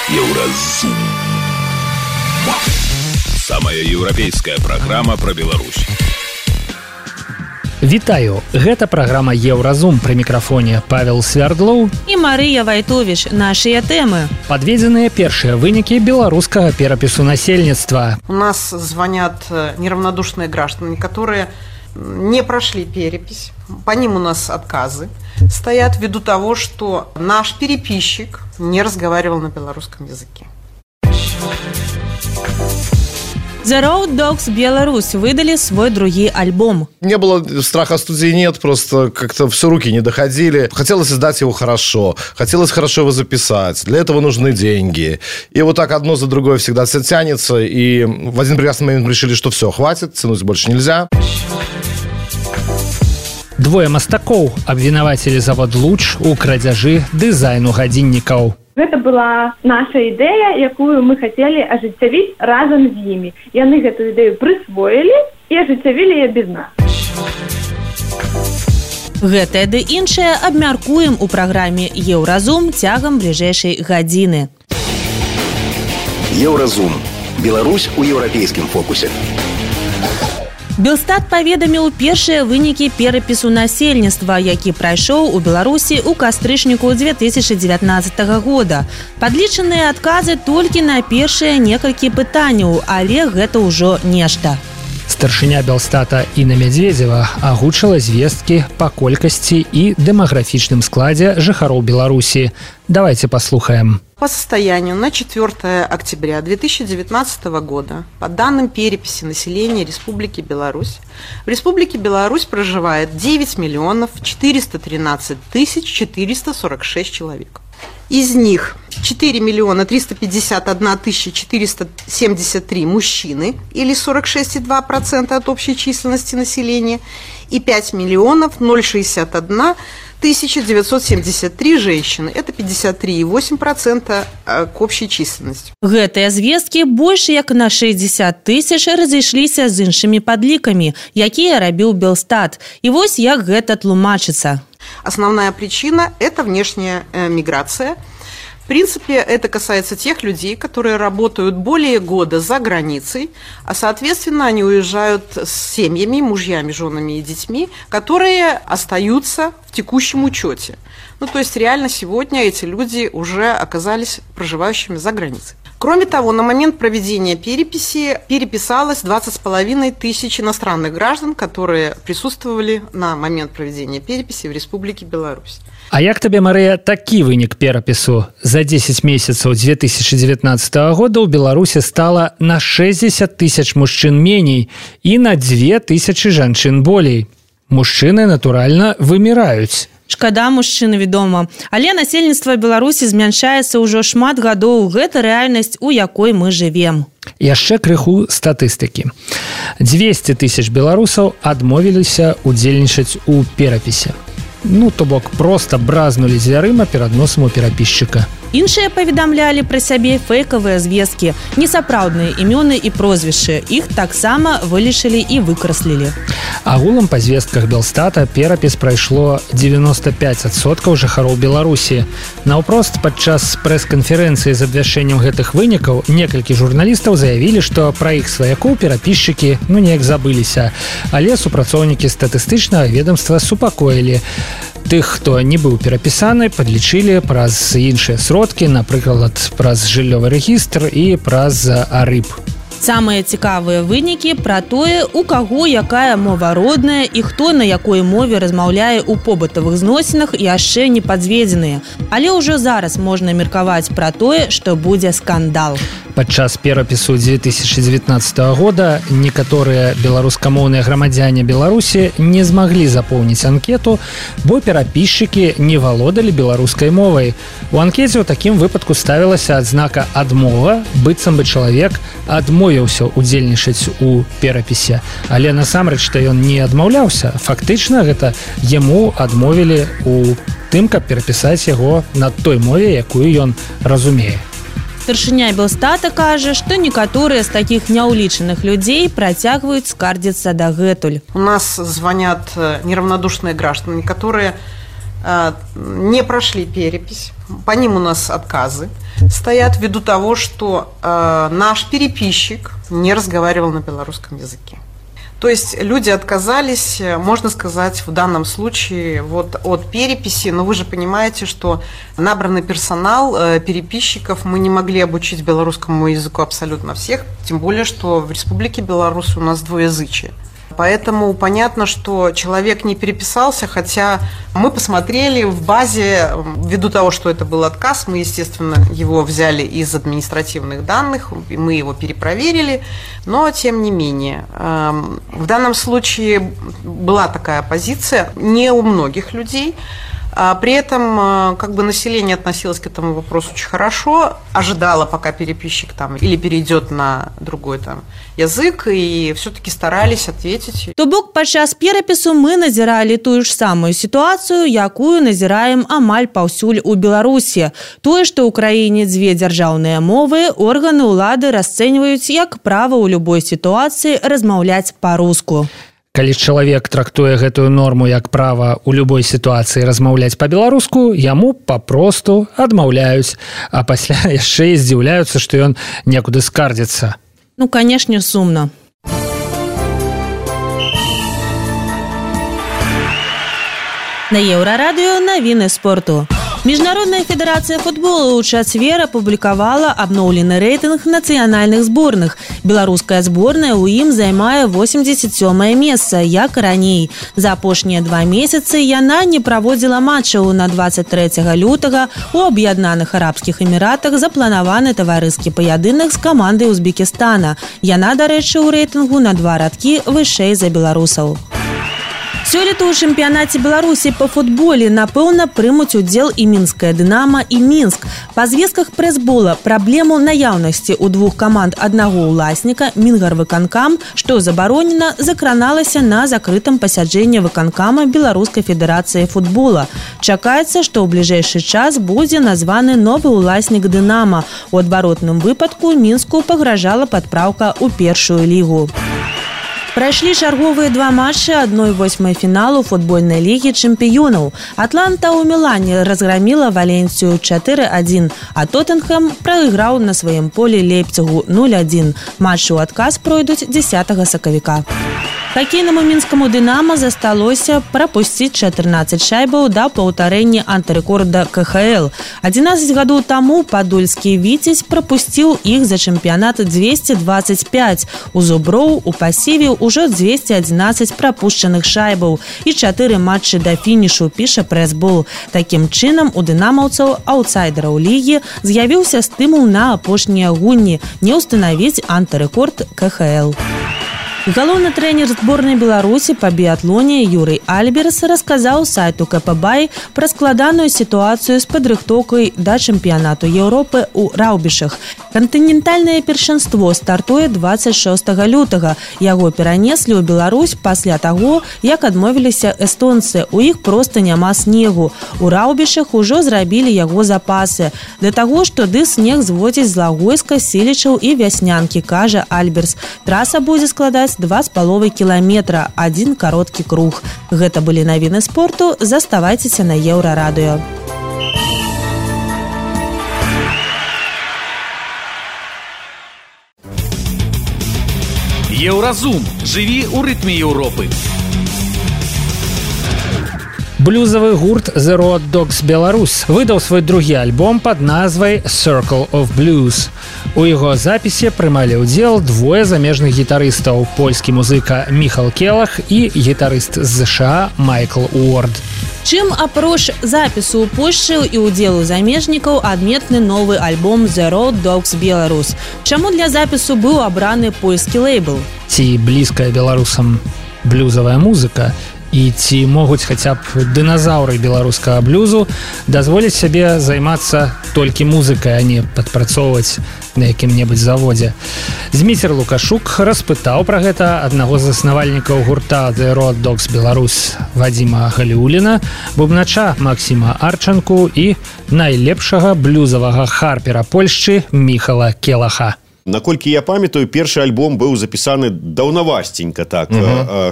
Еўразум. Самая еўрапейская праграма пра Беларусь. Вітаю, гэта праграма Еўразум, пры мікрафоне Павел Свярдлоў і Марыя Вайтовіч. Нашыя тэмы. Падведзеныя першыя вынікі беларускага перапісу насельніцтва. У нас звонят неравнодушные граждане, которые не прошли перепись. По ним у нас отказы стоят ввиду того, что наш переписчик не разговаривал на белорусском языке. The Road Dogs Беларусь выдали свой другой альбом. Не было страха студии, нет, просто как-то все руки не доходили. Хотелось издать его хорошо, хотелось хорошо его записать. Для этого нужны деньги. И вот так одно за другое всегда все тянется. И в один прекрасный момент решили, что все, хватит, тянуть больше нельзя. Двое мастакоў абвінавацілі завод «Луч» у крадзяжы дызайну гадзіннікаў. Гэта была наша ідэя, якую мы хацелі ажыццявіць разам з імі. Яны гэтую ідэю прысвоілі і ажыццявілі яе без нас. Гэтае ды іншае абмяркуем у праграме «Еўразум» цягам бліжэйшай гадзіны. Еўразум. Беларусь у еўрапейскім фокусе. Белстат паведаміў першыя вынікі перапісу насельніцтва, які прайшоў у Беларусі ў кастрычніку 2019 года. Падлічаныя адказы толькі на першыя некалькі пытанняў, але гэта ўжо нешта. Старшыня Белстата Інна Мядзведзева агучыла звесткі па колькасці і дэмаграфічным складзе жыхароў Беларусі. Давайте послухаем. По состоянию на 4 октября 2019 года, по данным переписи населения Республики Беларусь, в Республике Беларусь проживает 9 миллионов 413 тысяч 446 человек. Из них 4 миллиона 351 тысяча 473 мужчины, или 46,2% от общей численности населения, и 5 миллионов 061 1973 женщины. Это 53,8% к общей численности. Гэтыя звесткі больш як на 60 тысяч разышліся з іншымі падлікамі, якія рабіў Белстат. І вось як гэта тлумачыцца. Основная причина – это внешняя миграция. В принципе, это касается тех людей, которые работают более года за границей, а, соответственно, они уезжают с семьями, мужьями, женами и детьми, которые остаются в текущем учете. Ну, то есть, реально сегодня эти люди уже оказались проживающими за границей. Кроме того, на момент проведения переписи переписалось 20,5 тысяч иностранных граждан, которые присутствовали на момент проведения переписи в Республике Беларусь. А як табе, Марыя, такі вынік перапісу? За 10 месяцаў 2019 года ў Беларусі стала на 60 тысяч мужчын меней і на 2 тысячы жанчын болей. Мужчыны, натуральна, выміраюць. Шкада мужчыны, вядома. Але насельніцтва Беларусі змяншаецца ўжо шмат гадоў. Гэта рэальнасць, у якой мы жывем. Яшчэ крыху статыстыкі. 200 тысяч беларусаў адмовіліся удзельнічаць у перапісе. Ну, то бок, проста бразнулі дзвярыма перад носам у перапісчыка. Іншыя паведамлялі пра сябе фэйкавыя звесткі, несапраўдныя імёны і прозвішчы. Іх таксама вылічылі і выкраслілі. Агулам па звестках Белстата перапіс прайшло 95% жыхароў Беларусі. Наўпрост падчас прэс-канферэнцыі з абвяшчэннем гэтых вынікаў некалькі журналістаў заявілі, што пра іх сваякоў перапісчыкі неяк забыліся. Але супрацоўнікі статыстычнага ведамства супакоілі. Тых, хто не быў перапісаны, падлічылі праз іншыя сродкі, напрыклад, праз жыллёвы рэгістр і праз АРЫП. Самыя цікавыя вынікі пра тое, у каго якая мова родная і хто на якой мове размаўляе ў побытавых зносінах, яшчэ не падзведзеныя. Але ўжо зараз можна меркаваць пра тое, што будзе скандал. Падчас перапісу 2019 года некаторыя беларускамоўныя грамадзяне Беларусі не змаглі запоўніць анкету, бо перапісчыкі не валодалі беларускай мовай. У анкеце ў такім выпадку ставілася адзнака «адмова», быццам бы чалавек адмовіўся удзельнічаць у перапісе. Але насамрэч, што ён не адмаўляўся, фактычна гэта яму адмовілі у тым, каб перапісаць яго на той мове, якую ён разумее. Старшыня Белстата кажа, што некаторыя з такіх няўлічаных людзей працягваюць скардзіцца дагэтуль. У нас звонят неравнодушные граждане, которые не прошли перепись. По ним у нас отказы стоят ввиду того, что наш переписчик не разговаривал на белорусском языке. То есть люди отказались, можно сказать, в данном случае вот от переписи, но вы же понимаете, что набранный персонал переписчиков мы не могли обучить белорусскому языку абсолютно всех, тем более, что в Республике Беларусь у нас двуязычие. Поэтому понятно, что человек не переписался, хотя мы посмотрели в базе, ввиду того, что это был отказ, мы, естественно, его взяли из административных данных, мы его перепроверили, но тем не менее. В данном случае была такая позиция не у многих людей. При этом как бы население относилось к этому вопросу очень хорошо, ожидало, пока переписчик там или перейдет на другой там язык, и все-таки старались ответить. То бок падчас перапісу мы назіралі тую ж самую сітуацыю, якую назіраем амаль паўсюль у Беларусі. Тое, што ў краіне дзве дзяржаўныя мовы, органы ўлады расцэньваюць як права ў любой сітуацыі размаўляць па-руску. Калі чалавек трактуе гэтую норму як права ў любой сітуацыі размаўляць па-беларуску, яму папросту адмаўляюць, а пасля яшчэ і здзіўляюцца, што ён некуды скардзіцца. Ну, канешне, сумна. На Еўрарадыё навіны спорту. Міжнародная федэрацыя футболу ў чацвер апублікавала абноўлены рэйтынг нацыянальных зборных. Беларуская зборная ў ім займае 87-е месца, як і раней. За апошнія 2 месяцы яна не праводзіла матчаў. На 23 лютага у Аб'яднаных Арабскіх Эміратах запланаваны таварыскі паядынак з камандай Узбекістана. Яна, дарэчы, у рэйтынгу на 2 радкі вышэй за беларусаў. Сёлета ў чэмпіянаце Беларусі па футболе, напэўна, прымуць удзел і мінская «Дынама» і Мінск. Па звестках прэсбола праблему наяўнасці ў 2 каманд аднаго ўласніка Мінгарвыканкам, што забаронена, закраналася на закрытым пасяджэнні выканкама Беларускай федэрацыі футбола. Чакаецца, што ў бліжэйшы час будзе названы новы ўласнік «Дынама». У адваротным выпадку Мінску пагражала падпраўка ў першую лігу. Прайшлі чарговыя 2 матчы 1/8 фіналу футбольнай лігі чэмпіёнаў. Атланта ў Мілане разграміла Валенсію 4-1, а Тоттенхэм прайграў на сваім полі Лейпцігу 0-1. Матчы ў адказ пройдуць 10 сакавіка. Хакейнаму мінскаму «Дынама» засталося прапусціць 14 шайбаў да паўтарэння антырэкорда КХЛ. 11 гадоў таму падольскі «Віцязь» прапусціў іх за чэмпіянат 225. У зуброў у пасіве ўжо 211 прапушчаных шайбаў і 4 матчы да фінішу, піша прэсбол. Такім чынам у дынамаўцаў, аўтсайдераў лігі, з'явіўся стымул на апошнія гульні не ўстанавіць антырэкорд КХЛ. Галоўны трэнер зборнай Беларусі па біятлоне Юрый Альберс расказаў сайту КПБай пра складаную сітуацыю з падрыхтоўкай да чэмпіянату Еўропы ў Раўбішах. Кантынентальнае першынство стартуе 26 лютага. Яго перанеслі ў Беларусь пасля таго, як адмовіліся эстонцы. У іх проста няма снегу. У Раўбішах ужо зрабілі яго запасы. Да таго, што снег зводзіць з Лагойска, Селічаў і Вяснянкі, кажа Альберс. Траса будзе складаць 2,5 кіламетра, 1 кароткі круг. Гэта былі навіны спорту. Заставайцеся на Еўрарадыё. Еўразум. Жыві ў рытме Еўропы. Блюзавы гурт The Road Dogs Беларусь выдаў свой другі альбом пад назвай Circle of Blues. У яго запісе прымалі ўдзел 2 замежных гітарыстаў, польскі музыка Міхал Келах і гітарыст з США Майкл Уорд. Чым апроч запісу ў Польшчы і ўдзелу замежнікаў адметны новы альбом The Road Dogs Беларусь? Чаму для запісу быў абраны польскі лейбл? Ці блізкая беларусам блюзавая музыка? І ці могуць хаця б дыназаўры беларускага блюзу дазволіць сябе займацца толькі музыкай, а не падпрацоўваць на якім-небудзь заводзе. Зміцер Лукашук распытаў пра гэта аднаго з заснавальнікаў гурта The Road Dogs Беларусь Вадзіма Галіуліна, бубнача Максіма Арчанку і найлепшага блюзавага харпера Польшчы Міхала Келаха. Наколькі я памятаю, першы альбом быў запісаны даўнавасценька так.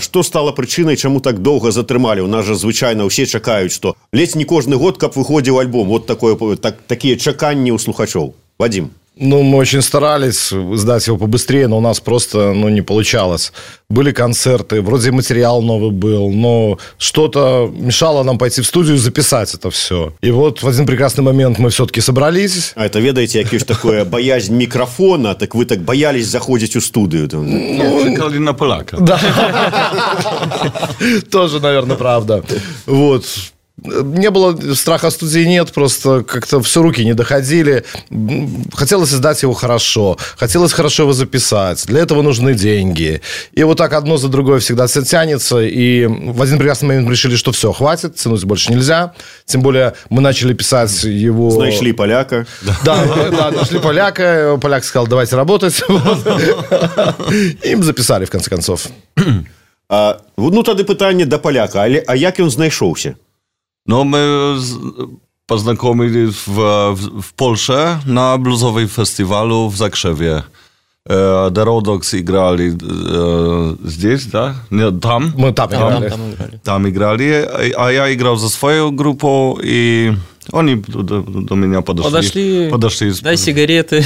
Што стала прычынай, чаму так доўга затрымалі? У нас жа звычайна ўсе чакаюць, што ледзь не кожны год, каб выходзіў альбом. Вот такія чаканні ў слухачоў. Вадим. Ну, мы очень старались издать его побыстрее, но у нас просто, не получалось. Были концерты, вроде материал новый был, но что-то мешало нам пойти в студию и записать это все. И вот в один прекрасный момент мы все-таки собрались. А это, ведаете, якое ж такое боязнь микрофона, так вы так боялись заходить в студию? Чекали на поляка. Да. Тоже, наверное, правда. Вот. Не было страха студии, нет, просто как-то все руки не доходили. Хотелось издать его хорошо, хотелось хорошо его записать. Для этого нужны деньги. И вот так одно за другое всегда все тянется. И в один прекрасный момент мы решили, что все, хватит, тянуть больше нельзя. Тем более мы начали писать его... Нашли поляка. Да, нашли поляка. Поляк сказал, давайте работать. И записали, в конце концов. Ну, тады пытанне до поляка. А як ён знайшоўся? No, my poznakомili w Polsce na bluesowym festiwalu w Zakrzewie. The Rodox играли здесь, да? Нет, там. Мы там играли. Там играли, а я играл за свою группу, и они до меня подошли. Дай сигареты.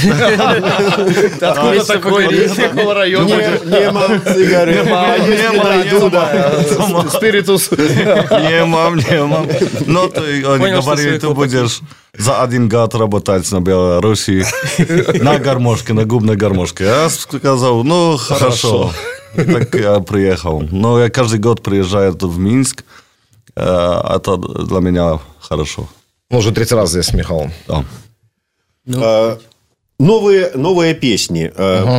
Откуда такой какого района? Нема сигарет. Нема. Спиритус. Нема. Но они говорили, ты будешь за 1 год работать на Беларуси на гармошке, на губной гармошке. Я сказал, хорошо. И так я приехал. Но я каждый год приезжаю в Минск. Это для меня хорошо. Уже 3-й раз здесь, Михаил. Да. Новыя песні.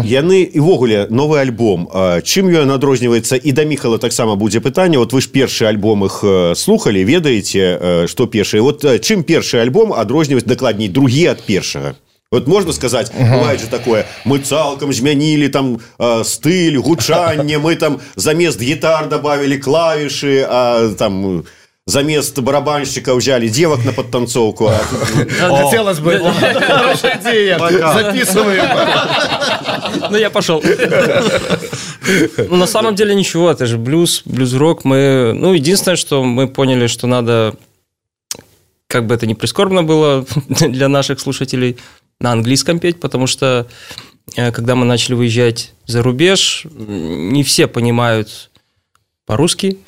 Яны, і ввогуле, новы альбом. Чым ён адрозніваецца? І да Міхала таксама будзе пытанне. Вот вы ж першы альбом іх слухалі, ведаеце, што першы. Вот чым першы альбом адрозніваецца, дакладней, другі ад першага? Вот можно сказать, бывает же такое, мы цалком змянили там стыль, гучанне, мы там замест гитар добавили клавиши, а там... Замест барабанщика взяли девок на подтанцовку. Хотелось бы. Хорошая идея. Записываем. Ну, я пошел. На самом деле ничего, это же блюз-рок. Единственное, что мы поняли, что надо, как бы это ни прискорбно было для наших слушателей, на английском петь, потому что когда мы начали выезжать за рубеж, не все понимают по-русски.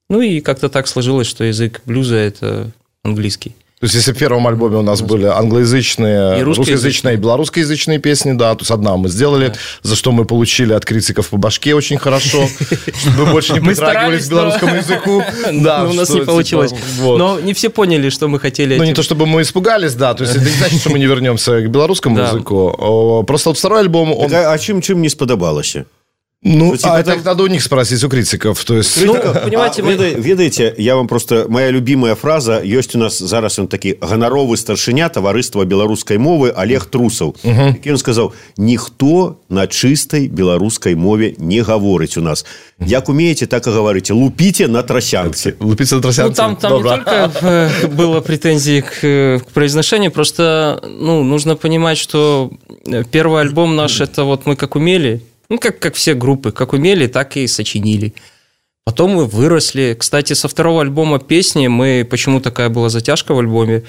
И как-то так сложилось, что язык блюза – это английский. То есть, если в первом альбоме у нас были англоязычные, русскоязычные и белорусскоязычные песни, да, то есть одна мы сделали, за что мы получили от критиков по башке очень хорошо, чтобы больше не притрагивались к белорусскому языку. Да, у нас не получилось. Но не все поняли, что мы хотели. Не то, чтобы мы испугались, да, то есть это не значит, что мы не вернемся к белорусскому языку. Просто вот второй альбом... А чым не спадабалася? Это надо у них спросить, у критиков. То есть... понимаете, ведаеце, я вам просто... Моя любимая фраза, ёсць у нас зараз он такі ганаровы старшыня таварыства беларускай мовы Олег Трусаў. Які он сказаў, ніхто на чыстай беларускай мове не гаворыць у нас. Як умеете, так и говорите. Лупите на тросянцы. Лупите на тросянцы. Там не только было претензии к произношению, просто нужно понимать, что первый альбом наш, это вот мы как умели... как все группы, как умели, так и сочинили. Потом мы выросли. Кстати, со второго альбома песни почему такая была затяжка в альбоме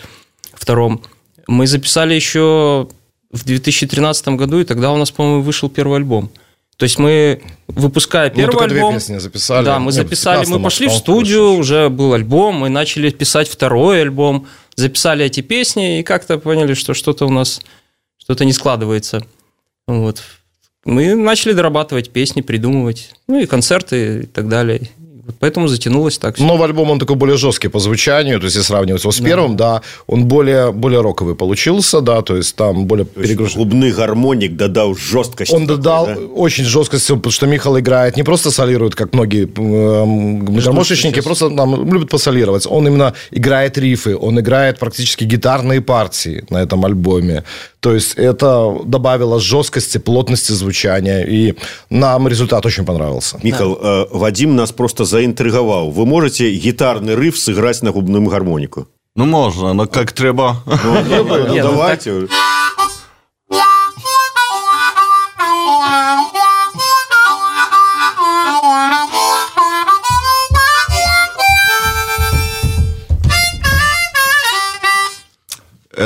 втором, мы записали еще в 2013 году, и тогда у нас, по-моему, вышел первый альбом. То есть мы, выпуская первый альбом... 2 песни записали. Да, мы записали, мы пошли в студию, уже был альбом, мы начали писать второй альбом, записали эти песни, и как-то поняли, что что-то у нас, что-то не складывается. Вот. Мы начали дорабатывать песни, придумывать, и концерты и так далее. Поэтому затянулось так. Новый альбом, он такой более жесткий по звучанию, то есть, если сравнивать его с первым, да, он более роковый получился, да, то есть, там более перегруженный. Клубный гармоник додал жесткость. Он додал очень жесткость, потому что Михаил играет, не просто солирует, как многие гармошечники, просто любят посолировать. Он именно играет рифы, он играет практически гитарные партии на этом альбоме. То есть, это добавило жесткости, плотности звучания, и нам результат очень понравился. Михаил, Вадим нас просто заинтриговал. Вы можете гитарный риф сыграть на губную гармонику? Можно, но как треба. Давайте.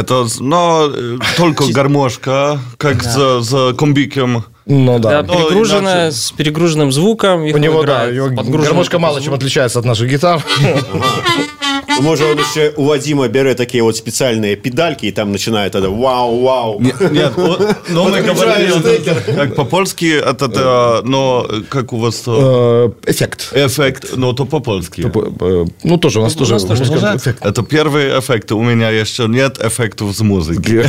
Это, но только гармошка, как за комбиком. Ну да. Да, перегруженная, с перегруженным звуком. У него, да, гармошка мало чем отличается от наших гитар. Может, он еще у Вадима берет такие вот специальные педальки, и там начинает это вау-вау. Нет, но мы говорили, как по-польски, это, но как у вас... Эффект. Эффект, но то по-польски. Ну, тоже у нас тоже эффект. Это первый эффект. У меня еще нет эффектов с музыки.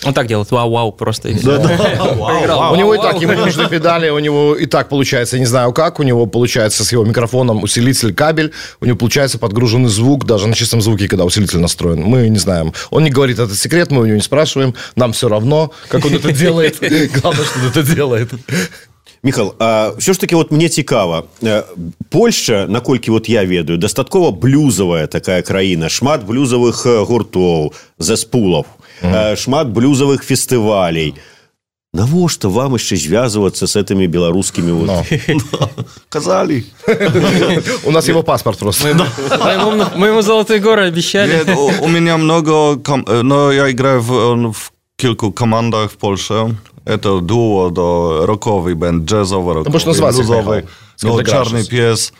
Он так делает, вау-вау, просто. У него и так, ему нужны педали, у него и так получается, я не знаю как, у него получается с его микрофоном усилитель, кабель, у него получается подгруженный звук, даже на чистом звуке, когда усилитель настроен. Мы не знаем. Он не говорит, это секрет, мы у него не спрашиваем, нам все равно, как он это делает. Главное, что он это делает. Міхал, а все ж таки вот мне цікава. Польща, наколькі вот я ведаю, дастаткова блюзавая такая краіна, шмат блюзавых гуртоў, зэспулаў, шмат блюзавых фестывалей. Навошта вам яшчэ звязвацца с этими беларускімі вот? Казали. У нас его паспорт просто. Мы ему золотые горы обещали. Нет, у меня много, но я играю в kilku командах в Польше. Это дуо, роковый бенд, джазовый, роковый, блюзовый, Czarny Pies,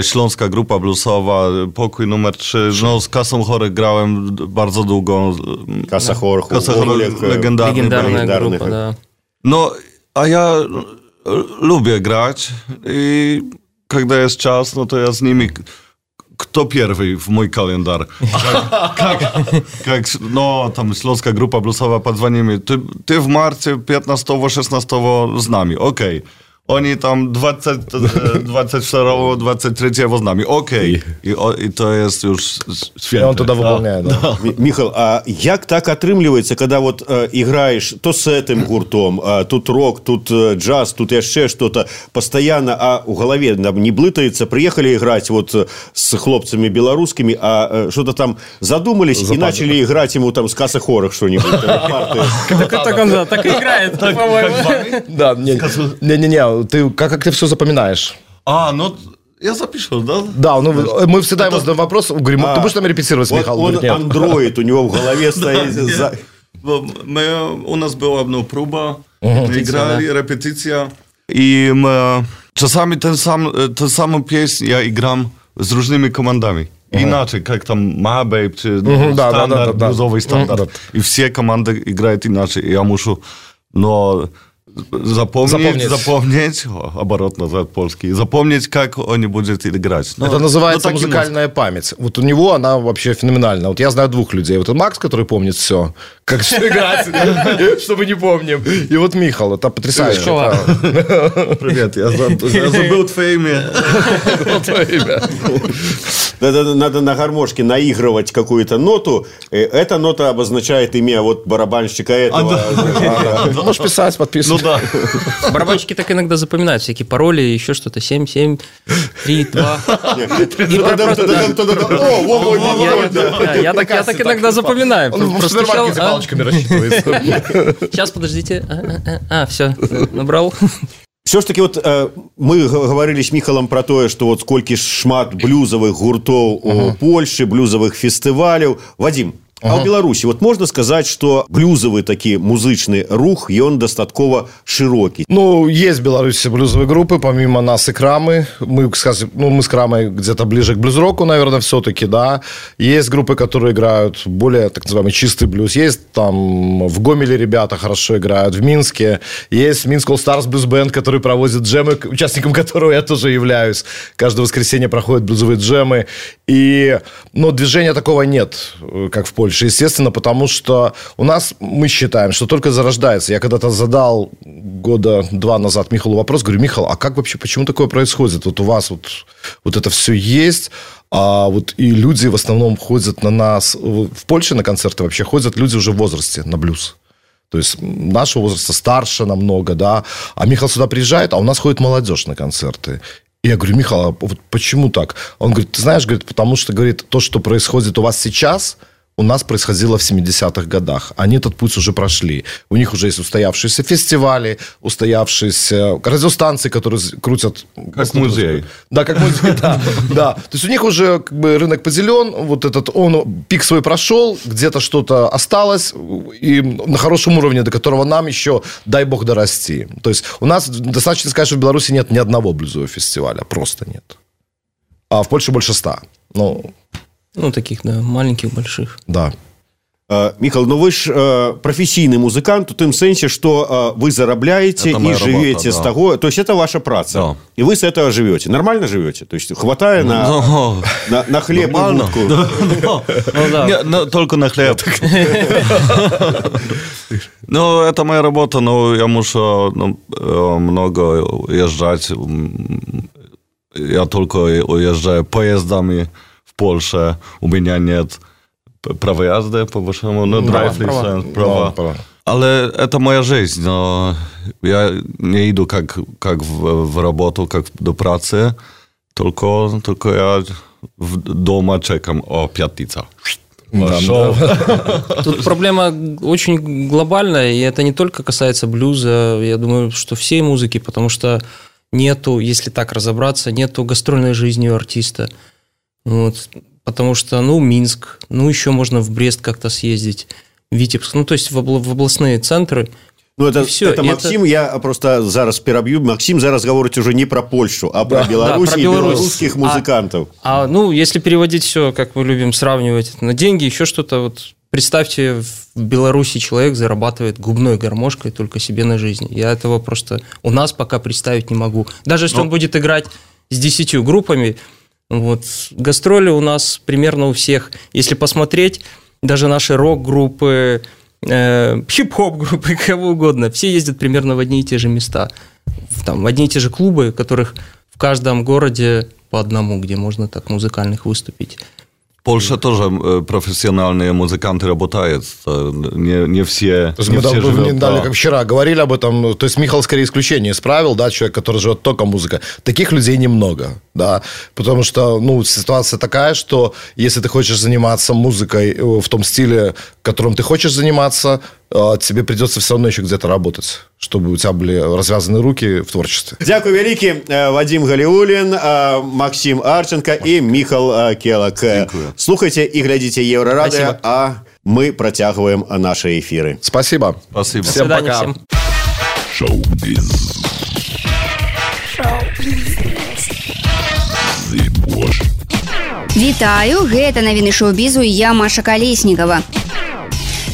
śląska grupa bluesowa, Pokój numer 3. No, z Kasą Chorych grałem bardzo długo. Kasa Chorych, legendarna grupa, da. No, a ja lubię grać i kiedy jest czas, no to ja z nimi... Kto pierwszy w mój kalendar? No, tam śląska grupa bluesowa, podzwonimy. Ty w marcie 15-16 z nami, okej. Oni tam 24, 23 z nami, okej. I to jest już świetne. On to wypełnia, да. Міхал, а як так атрымліваецца, когда вот играешь то с этим гуртом, тут рок, тут джаз, тут яшчэ что-то постоянно, а у голове не блытается, приехали играть вот с хлопцами белорусскими, а что-то там задумались и начали играть ему там с Каса Хорых что-нибудь. Так и играет, по-моему. Да, не-не-не, ты как ты все запоминаешь? Ну... Я запишу, да? Да, ну мы всегда ему задаем вопрос, говорим, ты будешь там репетировать с Михаилом? Он андроид, у него в голове стоит... У нас была проба, играли, репетиция, и мы czasami tę samą pieśń ja igram z różnymi komandami. Inaczej, jak tam Mabej, czy standard, bluesowy standard. I wszystkie komandy grają inaczej. I ja muszę, запомнить, оборотно за польский, запомнить, как они будут играть. Это называется музыкальная память. Вот у него она вообще феноменальна. Вот я знаю двух людей. Вот Макс, который помнит все, как все играть, чтобы не помним. И вот Михал, это потрясающе. Привет, я забыл твое имя. Надо на гармошке наигрывать какую-то ноту. Эта нота обозначает имя вот барабанщика этого. Можешь писать, подписывать. Да. Барабанщики так иногда запоминают всякие пароли, еще что-то. 7, 7, 3, 2. Я так иногда запоминаю. Он в супермаркете палочками рассчитывается. Сейчас, подождите. Все, набрал. Все ж таки вот мы говорили с Михалом про тое, что вот сколькі шмат блюзовых гуртоў у Польшы, блюзовых фестываляў. Вадим, а ў Беларусі вот можна сказаць, что блюзовый такі музычны рух, ён дастаткова шырокі? Ну, есть в Беларуси блюзовые группы, помимо нас и Крамы. Мы с Крамой где-то ближе к блюз-року, наверное, все-таки, да. Есть группы, которые играют более, так называемый, чистый блюз. Есть там в Гомеле ребята хорошо играют, в Минске. Есть Минск All Stars Blues Band, который проводит джемы, участником которого я тоже являюсь. Каждое воскресенье проходят блюзовые джемы. И, движения такого нет, как в Польше. Естественно, потому что у нас, мы считаем, что только зарождается. Я когда-то задал года 2 назад Михалу вопрос, говорю, Михал, а как вообще, почему такое происходит? Вот у вас вот это все есть, а вот и люди в основном ходят на нас, в Польше на концерты вообще ходят люди уже в возрасте на блюз. То есть нашего возраста старше намного, да. А Михал сюда приезжает, а у нас ходит молодежь на концерты. И я говорю, Михал, а вот почему так? Он говорит, ты знаешь, говорит, потому что, говорит, то, что происходит у вас сейчас... у нас происходило в 70-х годах. Они этот путь уже прошли. У них уже есть устоявшиеся фестивали, устоявшиеся радиостанции, которые крутят... Как музей. Да, как музей, да. То есть у них уже как бы рынок поделен, вот этот, он пик свой прошел, где-то что-то осталось, и на хорошем уровне, до которого нам еще, дай бог, дорасти. То есть у нас достаточно сказать, что в Беларуси нет ни одного блюзового фестиваля, просто нет. А в Польше больше 100. Ну, таких, да, маленьких, больших. Да. Михаил, ну вы же профессийный музыкант в том смысле, что вы зарабатываете и живете с того... То есть это ваша праца. Да. И вы с этого живете. Нормально живете? То есть хватает на хлеб и водку? Только на хлеб. Ну, это моя работа, но я мушу много уезжать. Я только уезжаю поездами в Польше. У меня нет права езды, по-вашему, права. Але это моя жизнь, но я не иду как в работу, как до працы, только я дома чекам о пятница. Тут проблема очень глобальная, и это не только касается блюза, я думаю, что всей музыки, потому что нету, если так разобраться, нету гастрольной жизни у артиста. Вот. Потому что, Минск, еще можно в Брест как-то съездить, Витебск, то есть в областные центры. Это Максим, я просто зараз перебью. Максим зараз говорит уже не про Польшу, а про Беларусь и белорусских музыкантов. Если переводить все, как мы любим сравнивать, на деньги, еще что-то, вот представьте, в Беларуси человек зарабатывает губной гармошкой только себе на жизнь. Я этого просто у нас пока представить не могу. Даже если он будет играть с 10 группами, гастроли у нас примерно у всех. Если посмотреть, даже наши рок-группы, хип-хоп-группы, кого угодно, все ездят примерно в одни и те же места. В одни и те же клубы, которых в каждом городе по одному, где можно так музыкальных выступить. В Польше тоже профессиональные музыканты работают. Не все, мы живут. Как вчера говорили об этом. То есть Михаил скорее исключение исправил, да, человек, который живет только музыкой. Таких людей немного, да, потому что, ситуация такая, что если ты хочешь заниматься музыкой в том стиле, которым ты хочешь заниматься, тебе придется все равно еще где-то работать, чтобы у тебя были развязаны руки в творчестве. Дякую великий. Вадим Галиулин, Максим Арченко и Михаил Келак. Слухайте и глядите Еврорадио, а мы протягиваем наши эфиры. Спасибо. Спасибо. Всем пока. Всем. Шоу-биз. Вітаю, гэта навіны шоу-бізу і я, Маша Колеснікова.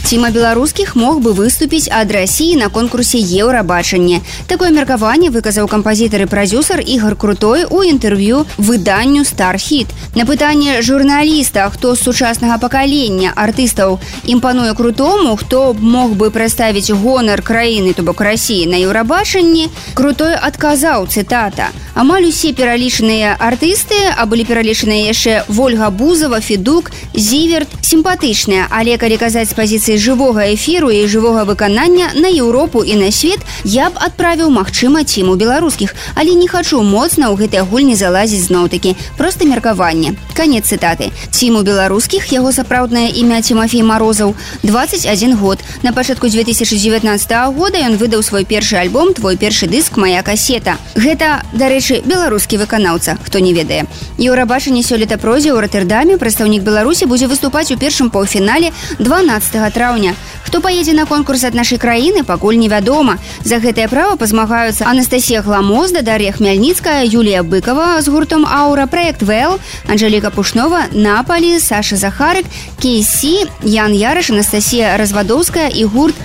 Тима беларускіх мог бы выступіць ад России на конкурсе Еўрабачанне. Такое меркаванне выказаў кампазітар і прадзюсар Ігор Крутой у інтэрв'ю выданню «Стархіт». На пытанне журналіста, хто з сучаснага пакалення артыстаў імпануе Крутому, хто мог бы прадставіць гонар краіны, то бок России, на Еўрабачанні, Крутой адказаў, цытата: «Амаль усе пералічаныя артысты, а былі пералічаныя яшчэ Вольга Бузова, Федук, Зіверт, сімпатычныя, але калі казаць з пазіцыі жывога эфіру і жывога выканання на Еўропу і на свет, я б адправіў, магчыма, Тиму беларускіх, але не хачу моцна ў гэтай гульні залазіць зноў-такі. Проста меркаванне». Канец цытаты. Тиму беларускіх, яго сапраўднае імя Тимофей Морозаў, 21 год. На пачатку 2019 года ён выдаў свой першы альбом «Твой першы дыск, моя касета». Гэта, дарэчы, беларускі выканаўца, хто не ведае. Еўрабачанне сёлета пройдзе ў Роттердаме. Прадстаўнік Беларусі будзе выступаць у першым паўфінале 12 траўня. Хто паедзе на конкурс ад нашай краіны, пакуль невядома. За гэтае права пазмагаюцца Анастасія Гламозда, Дар'я Хмяльніцкая, Юлія Быкова з гуртом «Аура», проект «ВЭЛ», Анжеліка Пушнова, Наполі, Саша Захарык, Кейсі, Ян Ярыш, Анастасія Развадоўская і гурт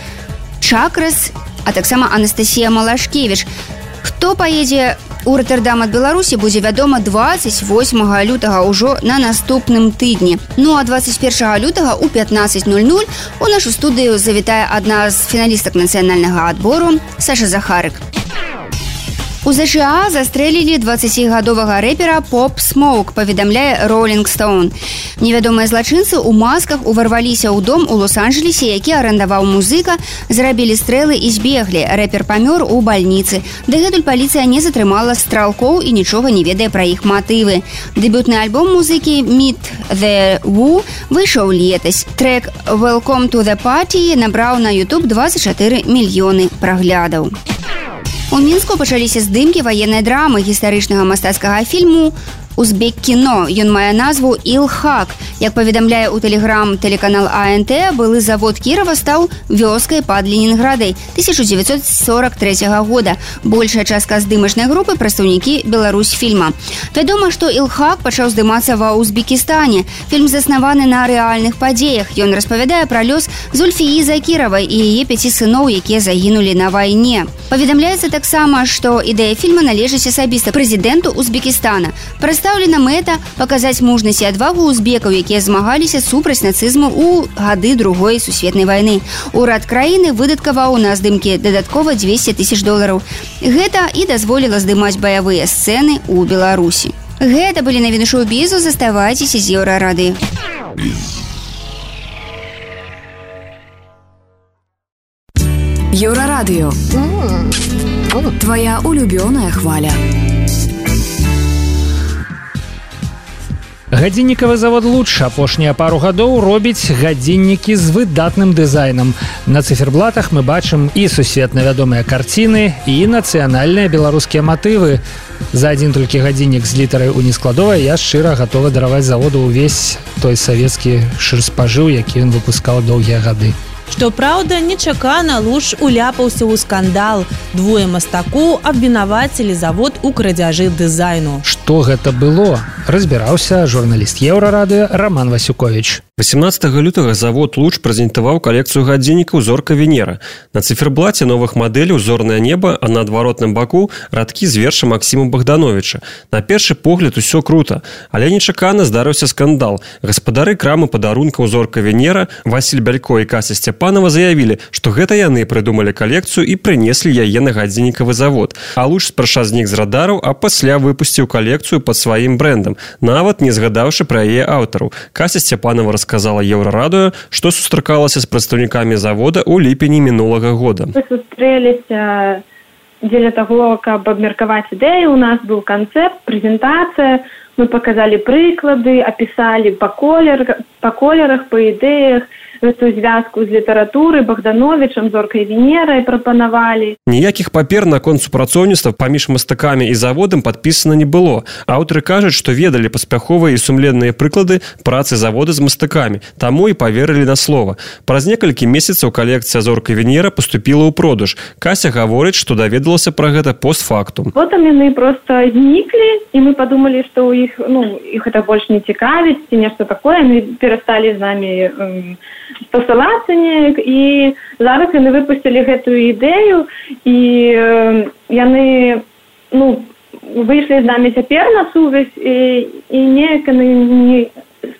«Чакрас», а таксама Анастасія Малашкевіч. Хто паедзе у Роттердам ад Беларусі, будзе вядома 28 лютага ўжо на наступным тыдні. А 21 лютага у 15:00 у нашу студыю завітае адна з фіналістак нацыянальнага адбору Саша Захарык. У США застрэлілі 20гадовага рэпера Поп Смоук, паведамляе Rolling Stone. Невядомыя злачынцы ў масках уварваліся ў дом у Лос-Анджелесе, які арандаваў музыка, зрабілі стрэлы і збеглі. Рэпер памёр у бальніцы. Дагэтуль паліцыя не затрымала стралкоў і нічога не ведае пра іх матывы. Дэбютны альбом музыкі Meet the Woo выйшаў летась. Трэк Welcome to the Party набраў на YouTube 24 мільёны праглядаў. У Мінску пачаліся здымкі ваеннай драмы гістарычнага мастацкага фільму «Узбек-кіно». Ён мае назву «Ил-Хак». Як паведамляе ў тэлеграм тэлеканал АНТ, былы завод Кірава стаў вёскай пад Ленінградай 1943 года. Большая частка здымачнай групы прадстаўнікі Беларусьфільма. Вядома, што «Ил-Хак» пачаў здымацца ва Узбекістане. Фільм заснаваны на рэальных падзеях. Ён распавядае пра лёс Зульфіі Закіравай і яе 5 сыноў, якія загінулі на вайне. Паведамляецца таксама, што ідэя фільма належыць асабіста прэзідэнту Узбекістана. Прадстаўлена мэта паказаць мужнасць і адвагу узбекаў, якія змагаліся супраць нацызму ў гады Другой сусветнай вайны. Урад краіны выдаткаваў на здымкі дадаткова $200 000. Гэта і дазволіла здымаць баявыя сцэны ў Беларусі. Гэта былі навіны шоу-бізу. Заставайцеся з Еўрарадыё. Еўрарадыё. Твоя улюбёная хваля. Гадзіннікавы завод «Луч» апошнія пару гадоў робіць гадзіннікі з выдатным дызайнам. На цыферблатах мы бачым і сусветна вядомыя карціны, і нацыянальныя беларускія матывы. За адзін толькі гадзіннік з літарай у нескладовай я шчыра гатова дараваць заводу ўвесь той савецкі шырспажыў, які ён выпускаў доўгія гады. Што праўда, нечакана Луч уляпаўся ў скандал. Двое мастакоў абвінавацілі завод у крадзяжы дызайну. Што гэта было? Разбіраўся журналіст Еўрарадыё Роман Васюкович. 18 лютага завод «Луч» прэзентаваў калекцыю гадзіннікаў «Зорка Венера». На цыферблаце новых мадэляў «Зорнае неба», а на адваротным баку радкі з верша Максіма Богдановича. На першы погляд усё круто, але нечакана здарыўся скандал. Гаспадары крамы падарункаў «Зорка Венера» Васіль Бялько і Кася Сцяпанова заявілі, што гэта яны прыдумалі калекцыю і прынеслі яе на гадзіннікавы завод. А «Луч» спярша знік з радараў, а пасля выпусціў калекцыю пад сваім брэндам, нават не згадаўшы пра яе аўтараў. Кася Сцяпанова сказала Еўрарадыё, што сустракалася з прадстаўнікамі завода ў ліпені мінулага года. Мы сустрэліся дзеля таго, каб абмеркаваць ідэю. У нас быў канцэпт, прэзентацыя. Мы паказалі прыклады, апісалі па колерах, па ідэях, гэтую звязку з літаратурай, Богдановичам, Зоркай Венерай прапанавалі. Ніякіх папер наконт супрацоўніцтва паміж мастакамі і заводам падпісана не было. Аўтары кажуць, што ведалі паспяховыя і сумленныя прыклады працы завода з мастакамі, таму і паверылі на слова. Праз некалькі месяцаў калекцыя «Зорка Венера» паступіла ў продаж. Кася гаворыць, што даведалася пра гэта постфактум. Потым яны проста зніклі, і мы падумалі, што іх гэта больш не цікавіць, ці нешта такое. Яны перасталі з намі спасылацца неяк, і зараз яны выпусцілі гэтую ідэю, і яны выйшлі з намі цяпер на сувязь, і неяк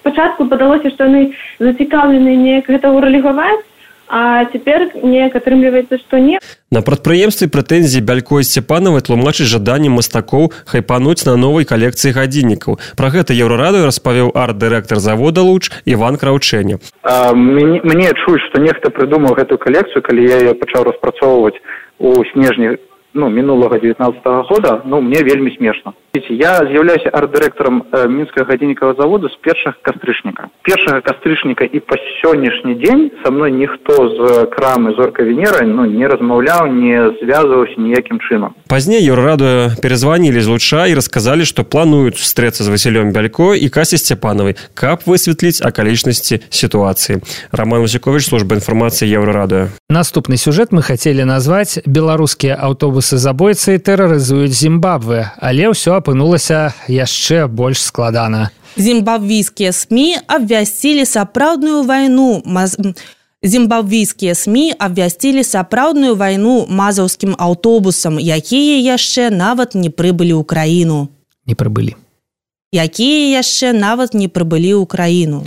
спачатку падалося, што яны зацікаўлены неяк гэта ўрэалізаваць, а цяпер неяк атрымліваецца, што не. На прадпрыемстве прэтэнзіі Бялько і Сцяпанавай тлумачыць жаданнем мастакоў хайпануць на новай калекцыі гадзіннікаў. Пра гэта Еўрарадыё распавёў арт-дырэктар завода «Луч» Іван Краўчэня. Мне чуць, што нехта прыдумаў гэтую калекцыю, калі я яе пачаў распрацоўваць у снежні мінулага 19-го года, мне вельмі смешна. Я з'яўляюся арт-дырэктарам мінскага гадзіннікавага завода з 1 кастрычніка. 1 кастрычніка і па сённяшні дзень са мной ніхто з крамы «Зорка Венера» не размаўляў, не звязваўся ніякім чынам. Пазней Еўрарадыё перазванілі з «Луча» і расказалі, што плануюць сустрэцца з Васілём Бялько і Касяй Сцяпанавай, каб высветліць акалічнасці сітуацыі. Роман Васюкович, служба інфармацыі Еўрарадыё. Наступны сюжэт мы хацелі назваць «Беларускія аўтобусы-забойцы тэрарызуюць Зімбабве», але ўсё апынулася яшчэ больш складана. Зімбабвійскія СМІ абвясцілі сапраўдную вайну. Зімбабвійскія СМІ абвясцілі сапраўдную вайну мазаўскім аўтобусам, якія яшчэ нават не прыбылі ў краіну. Не прыбылі. Якія яшчэ нават не прыбылі ў краіну.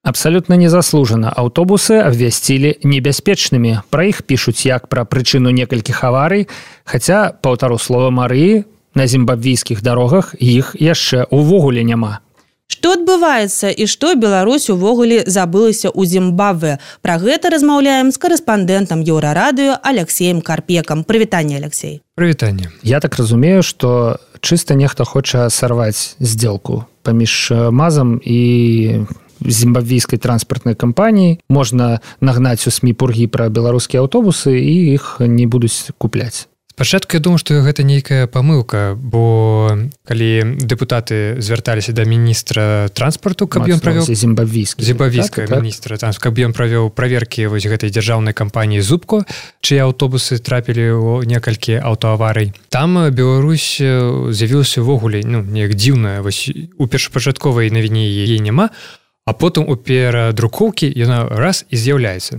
Абсолютно незаслужана аўтобусы абвясцілі небяспечнымі. Пра іх пішуць як пра прычыну некалькіх аварый, хаця, паўтару слова Марыі, на зімбабвійскіх дарогах іх яшчэ ўвогуле няма. Што адбываецца і што Беларусь увогуле забылася ў Зімбабве? Пра гэта размаўляем з карэспандэнтам Еўрарадыё Алексеем Карпекам. Прывітанне, Алексей. Прывітанне. Я так разумею, што чыста нехта хоча сарваць здзелку паміж МАЗам і зімбабвійскай транспартнай кампаніі. Можна нагнаць у СМІ пургі пра беларускія аўтобусы і іх не будуць купляць. Спачатку я думаю, што гэта нейкая памылка, бо калі дэпутаты звярталіся да міністра транспарту, каб ён правёў зімбабвійскага міністра транспарту, каб ён правёў праверкі вось гэтай дзяржаўнай кампаніі «Зубко», чыя аўтобусы трапілі ў некалькі аўтоаварый. Там Беларусь з'явілася ўвогуле неяк дзіўная, вось у першапачатковай навіне яе няма, а потым у перадрукоўкі яна раз і з'яўляецца.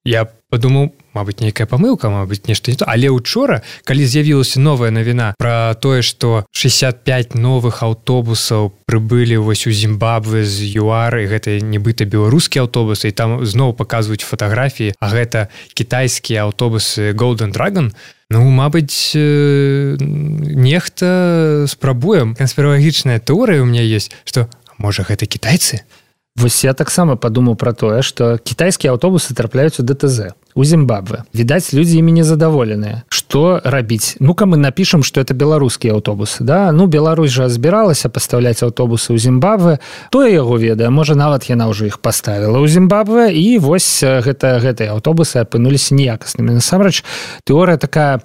Я падумаў, мабыць, нейкая памылка, мабыць, нешта не то. Але ўчора, калі з'явілася новая навіна пра тое, што 65 новых аўтобусаў прыбылі вось у Зімбабве з ЮАР, і гэта нібыта беларускія аўтобусы, і там зноў паказваюць фатаграфіі, а гэта кітайскія аўтобусы Golden Dragon, мабыць, нехта спрабуе. Канспіралагічная тэорыя ў мяне ёсць, што, можа, гэта кітайцы? Вось я таксама падумаў пра тое, што кітайскія аўтобусы трапляюць у ДТЗ, у Зімбабве. Відаць, людзі імі незадаволеныя. Што рабіць? Ну-ка мы напішам, што это беларускія аўтобусы, да? Беларусь жа збіралася пастаўляць аўтобусы ў Зімбабве. Тое яго ведае, можа, нават яна ўжо іх паставіла ў Зімбабве, і вось гэтыя аўтобусы апынуліся неякаснымі. Насамрэч, тэорыя такая,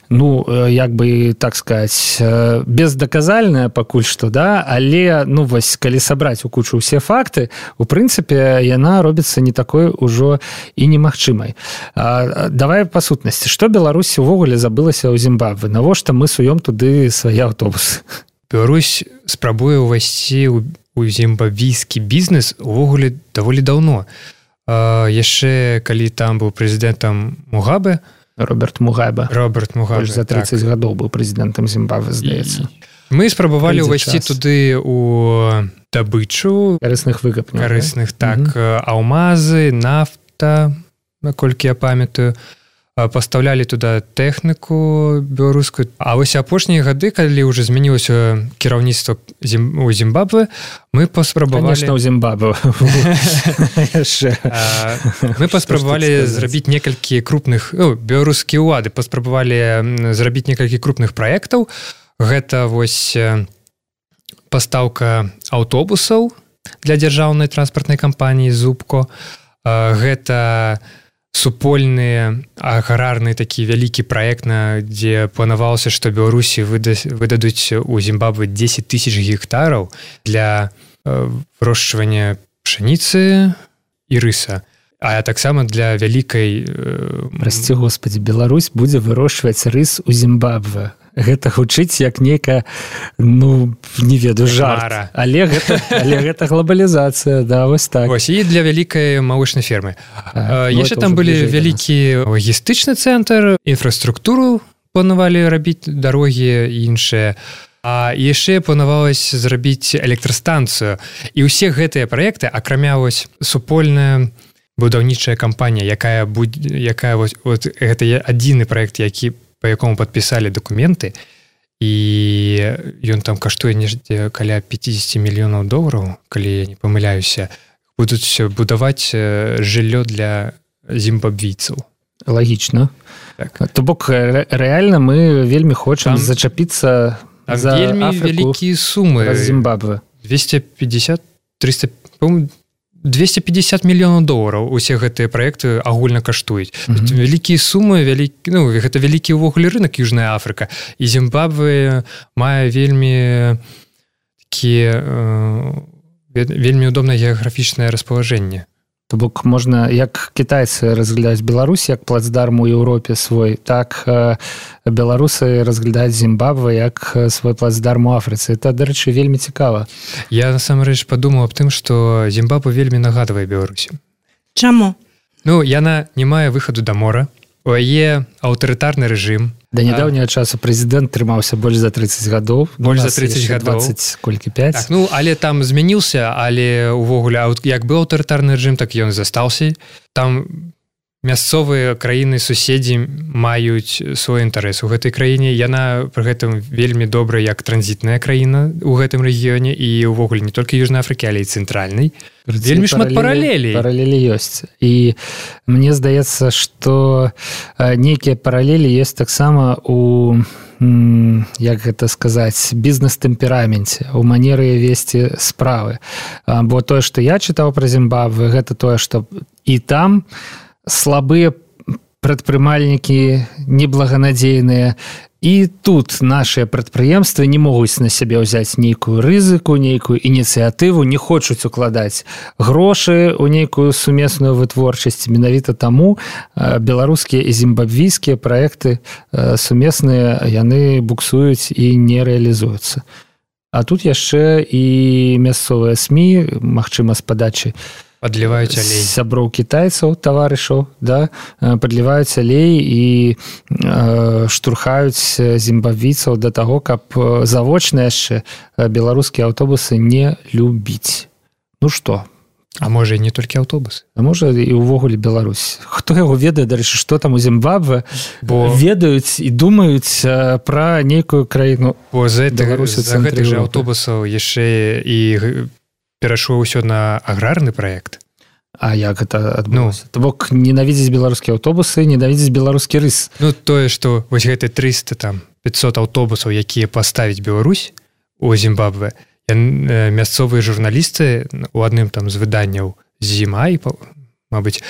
як бы, так сказать, бездаказальная пакуль што, да? Але, вось, калі сабраць у кучу ўсе факты, у прынцыпе, яна робіцца не такой ужо і немагчымай. Давай па сутнасці. Што Беларусь увогуле забылася ў Зімбабве? Навошта мы суем туды свае аўтобусы? Беларусь спрабуе ўвайсці ў зімбабвійскі бізнес увогуле даволі даўно. Яшчэ, калі там быў прэзідэнтам Мугабе, Роберт Мугабе. Больш за 30 гадоў быў прэзідэнтам Зімбабве, здаецца. Мы спрабавалі ўвайсці туды ў дабычу карысных выкапняў. Карысных, так. Алмазы, нафта, наколькі я памятаю. Пастаўлялі туды тэхніку беларускую. А вось апошнія гады, калі ўжо змянілася кіраўніцтва у Зімбабве, мы паспрабавалі... Конечно, у Зімбабве. Мы паспрабавалі зрабіць некалькі крупных... Беларускія ўлады паспрабавалі зрабіць некалькі крупных праектаў. Гэта вось пастаўка аўтобусаў для дзяржаўнай транспартнай кампаніі «Зубко». Гэта... супольны аграрны такі вялікі праект, дзе планавалася, што Беларусі выдадуць у Зімбабве 10 000 гектараў для вырошчвання пшаніцы і рыса. А таксама для вялікай... Прасці, Господи, Беларусь будзе вырошчваць рыс у Зімбабве. Гэта гучыць як нейкая, не ведаю, жарт. Але гэта глобалізацыя, да, вось так. Вось, і для вялікай малочнай фермы. Яшчэ там былі вялікі лагістычны цэнтр, інфраструктуру планавалі рабіць, дарогі і іншыя. А яшчэ планавалася зрабіць электрастанцыю. І ўсе гэтыя праекты, акрамя вось супольная будаўнічая кампанія, якая вось гэта адзіны праект, які по якому падпісалі дакументы, і ён там каштуе нешта каля 50 мільёнаў долараў, калі я не памыляюся, будуць будаваць жыллё для зімбабвійцаў. Лагічна. Так. То бок, рэальна мы вельмі хочам зачапіцца за вельмі вялікія сумы. Зімбабве. 250 мільёнаў долараў усе гэтыя праекты агульна каштуюць. Вялікія сумы, гэта вялікі ўвогуле рынак Южная Афрыка. І Зімбабве мае вельмі удобнае геаграфічнае распалажэнне. То бок можна, як кітайцы разглядаюць Беларусь як плацдарм у Еўропе свой, так беларусы разглядаюць Зімбабве як свой плацдарм у Афрыцы. Это, дарэчы, вельмі цікава. Я, насамрэч, падумаў аб тым, што Зімбабве вельмі нагадвае Беларусі. Чаму? Яна не мае выхаду да мора. У яе аўтарытарны рэжым. Да нядаўняга часу прэзідэнт трымаўся больш за 30 гадоў. Больш за 30 гадоў. 20, колькі, 5. Так, ну, але там змяніўся, але увогуле, як быў аўтарытарны рэжым, так ён застаўся. Там мясцовыя краіны суседзі маюць свой інтарэс у гэтай краіне. Яна пры гэтым вельмі добрая як транзітная краіна ў гэтым рэгіёне і ўвогуле не толькі Южнай Афрыкі, але і цэнтральнай. Вельмі шмат паралелей. Паралелі ёсць. І мне здаецца, што нейкія паралелі ёсць таксама у, як гэта сказаць, бізнес-тэмпераменце, у манеры весці справы. Бо тое, што я чытаў пра Зімбабве, гэта тое, што і там слабыя прадпрымальнікі, неблаганадзейныя, і тут нашыя прадпрыемствы не могуць на сябе ўзяць нейкую рызыку, нейкую ініцыятыву, не хочуць укладаць грошы ў нейкую сумесную вытворчасць. Менавіта таму беларускія і зімбабвійскія праекты сумесныя, яны буксуюць і не рэалізуюцца. А тут яшчэ і мясцовыя СМІ, магчыма, з падачы падліваюць алей. Сяброў кітайцаў, таварышаў, да, падліваюць алей і штурхаюць зімбабвійцаў да таго, каб завочна яшчэ беларускія аўтобусы не любіць. Ну што? А можа і не толькі аўтобусы. А можа і ўвогуле Беларусь. Хто яго ведае, дарэчы, што там у Зімбабве, бо ведаюць і думаюць пра нейкую краіну. Бо за гэтых жа аўтобусаў яшчэ і перайшло ўсё на аграрны праект. А як гэта адбылося? То бок ненавідзець беларускія аўтобусы, ненавідзець беларускі рыс. Ну, тое, што вось гэты 300, там, 500 аўтобусаў, якія паставіць Беларусь у Зімбабве, мясцовыя журналісты у адным там з выданняў «Зімай», мабыць,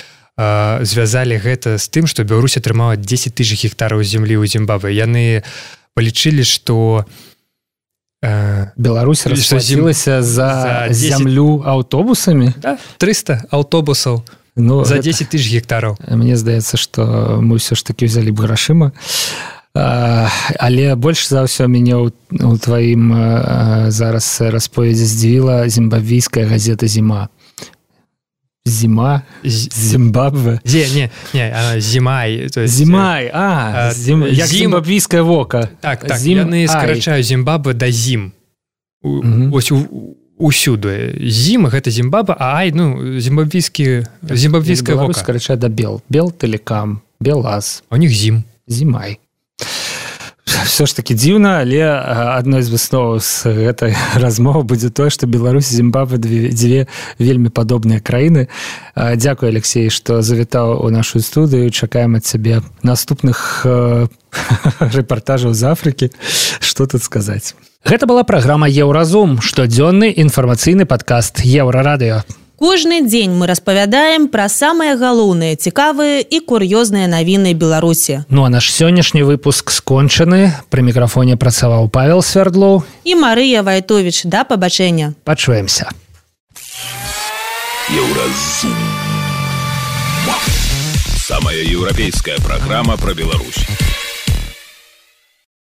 звязалі гэта з тым, што Беларусь атрымала 10 тысяч гектараў зямлі ў Зімбабве. Яны палічылі, што Беларусь расплацілася за зямлю аўтобусамі? Да, 300 аўтобусаў за 10 тысяч гектараў. Мне здаецца, што мы ўсё ж такі ўзялі б грашыма. Але больш за ўсё мяне у тваім зараз расповедзі здзівіла зімбабвійская газета «Зіма». Зима, Зимбабве. Зимай. Зимай, як зімбабвійскае вока. Так, яны скарачаюць Зімбабве да зім. Ось усюды. Зім — гэта Зімбабве, а ай, ну, зімбабвійскае вока. Беларусь скарачае да Бел. Белтэлекам, Белаз. А у них зім. Зімай. Все ж таки дзіўна, але адной з высноваў з гэтай размовы будзе тое, што Беларусь і Зімбабве дзве вельмі падобныя краіны. Дзякуй, Алексей, што завітаў у нашу студыю. Чакаем ад цябе наступных рэпартажаў з Афрыкі. Што тут сказаць? Гэта была праграма «Еўразум», штодзённы інфармацыйны падкаст «Еўрарадыё». Кожны дзень мы распавядаем пра самыя галоўныя, цікавыя і кур'ёзныя навіны Беларусі. Ну а наш сённяшні выпуск скончаны. Пры мікрафоне працаваў Павел Свердлоў і Марыя Вайтовіч. Да пабачэння. Пачуемся. Еўразум. Самая еўрапейская праграма пра Беларусь.